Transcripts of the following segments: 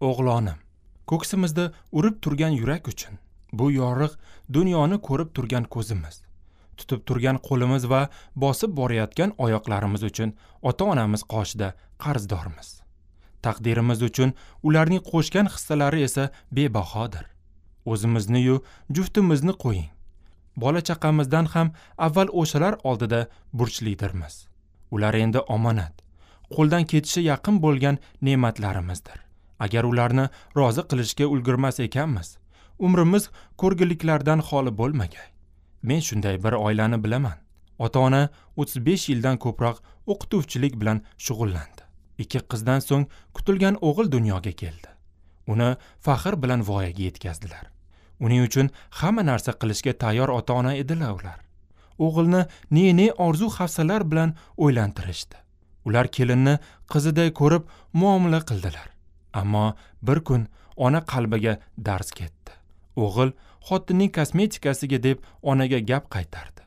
O'g'lonim, ko'ksimizda urib turgan yurak uchun, bu yorug' dunyoni ko'rib turgan ko'zimiz, tutib turgan qo'limiz va bosib borayotgan oyoqlarimiz uchun ota-onamiz qoshida qarzdormiz. Taqdirimiz uchun ularning qo'shgan hissalari esa bebahodir. O'zimizni-yu juftimizni qo'ying. Bola chaqamizdan ham avval o'shalar oldida burchlidirmiz. Ular endi omonat, qo'ldan ketishi yaqin bo'lgan ne'matlarimizdir. Agar ularni rozi qilishga ulgurmas ekanmiz, umrimiz ko'rgiliklardan xoli bo'lmagay. Men shunday bir oilani bilaman. Ota-ona 35 yildan ko'proq o'qituvchilik bilan shug'ullandi. 2 qizdan so'ng kutilgan o'g'il dunyoga keldi. Uni faxr bilan voyaga yetkazdilar. Uning uchun hamma narsa qilishga tayyor ota-ona edilar ular. O'g'ilni ne-ne orzu hafsalar bilan o'ylantirishdi. Ular kelinni qiziday ko'rib muomala qildilar. Ammo bir kun ona qalbiga darz ketdi. O'g'il xotinning kosmetikasiga deb onaga gap qaytardi.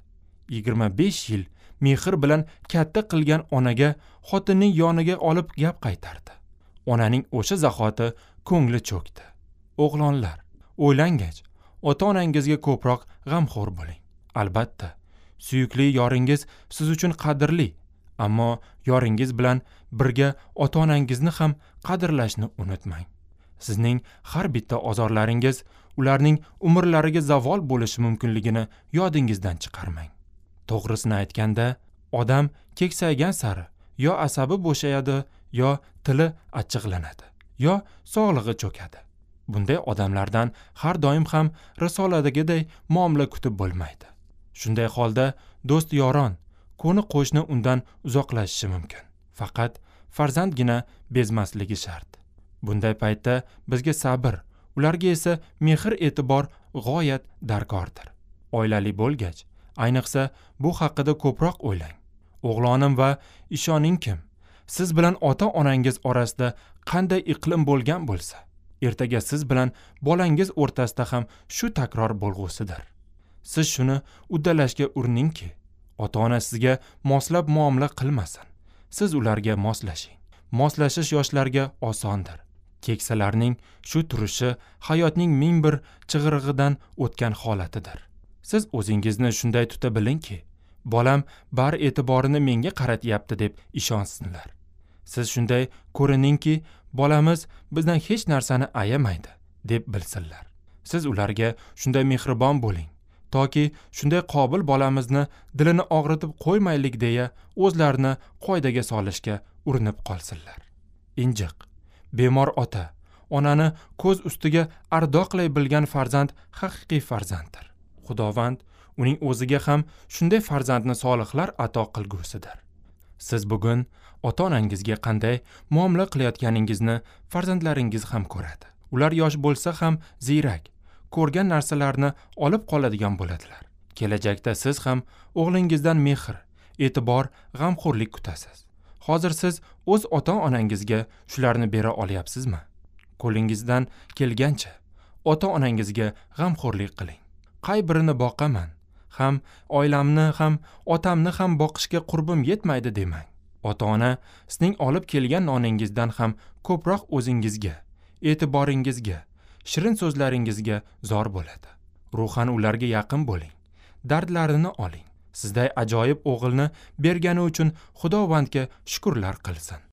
25 yil mehr bilan katta qilgan onaga xotinning yoniga olib gap qaytardi. Onaning o'sha zahoti ko'ngli cho'kdi. O'g'lonlar, o'ylangach, ota-onangizga ko'proq g'amxo'r bo'ling. Albatta, suyukli yoringiz siz uchun qadrli, ammo yoringiz bilan birga ota-onangizni ham qadrlashni unutmang. Sizning har bitta ozorlaringiz ularning umrlariga zavol bo'lishi mumkinligini yodingizdan chiqarmang. To'g'risini aytganda, odam keksaygan sari yo asabi bo'shayadi, yo tili achchiqlanadi, yo sog'lig'i cho'kadi. Bunday odamlardan har doim ham risoladagiday muomala kutib bo'lmaydi. Shunday holda do'st yoron, qo'ni qo'shni undan uzoqlashishi mumkin. Faqat farzandgina bezmasligi shart. Bunday paytda bizga sabr, ularga esa mehr e'tibor g'oyat darkordir. Oilali bo'lgach, ayniqsa bu haqida ko'proq o'ylang. O'g'lonim va ishoningkim, siz bilan ota-onangiz orasida qanday iqlim bo'lgan bo'lsa, ertaga siz bilan bolangiz o'rtasida ham shu takror bo'lg'usidir. Siz shuni uddalashga uriningki, ota-ona sizga moslab muomala qilmasin. Siz ularga moslashing. Moslashish yoshlarga osondir. Keksalarning shu turishi hayotning ming bir chig'irig'idan o'tgan holatidir. Siz o'zingizni shunday tuta bilingki, bolam bar e'tiborini menga qaratyapti deb ishonsinlar. Siz shunday ko'riningki, bolamiz bizdan hech narsani ayamaydi deb bilsinlar. Siz ularga shunday mehribon bo'ling, toki shunday qobil bolamizni dilini og'ritib qo'ymaylik deya o'zlarini qoidaga solishga urinib qolsinlar. Injiq, bemor ota, onani ko'z ustiga ardoqlay bilgan farzand haqiqiy farzanddir. Xudovand uning o'ziga ham shunday farzandni solihlar ato qilgusidir. Siz bugun ota-onangizga qanday muomala qilayotganingizni farzandlaringiz ham ko'radi. Ular yosh bo'lsa ham ziyrak, ko'rgan narsalarni olib qoladigan bo'ladilar. Kelajakda siz ham o'g'lingizdan mehr, e'tibor, g'amxo'rlik kutasiz. Hozir siz o'z ota-onangizga shularni bera olyapsizmi? Qo'lingizdan kelgancha ota-onangizga g'amxo'rlik qiling. Qay birini boqaman, ham oilamni ham otamni ham boqishga qurbim yetmaydi demang. Ota-ona sizning olib kelgan noningizdan ham ko'proq o'zingizga, e'tiboringizga, shirin so'zlaringizga zor bo'ladi. Ruhan ularga yaqin bo'ling, dardlarini oling. Sizday ajoyib o'g'ilni bergani uchun Xudovandga shukrlar qilsin.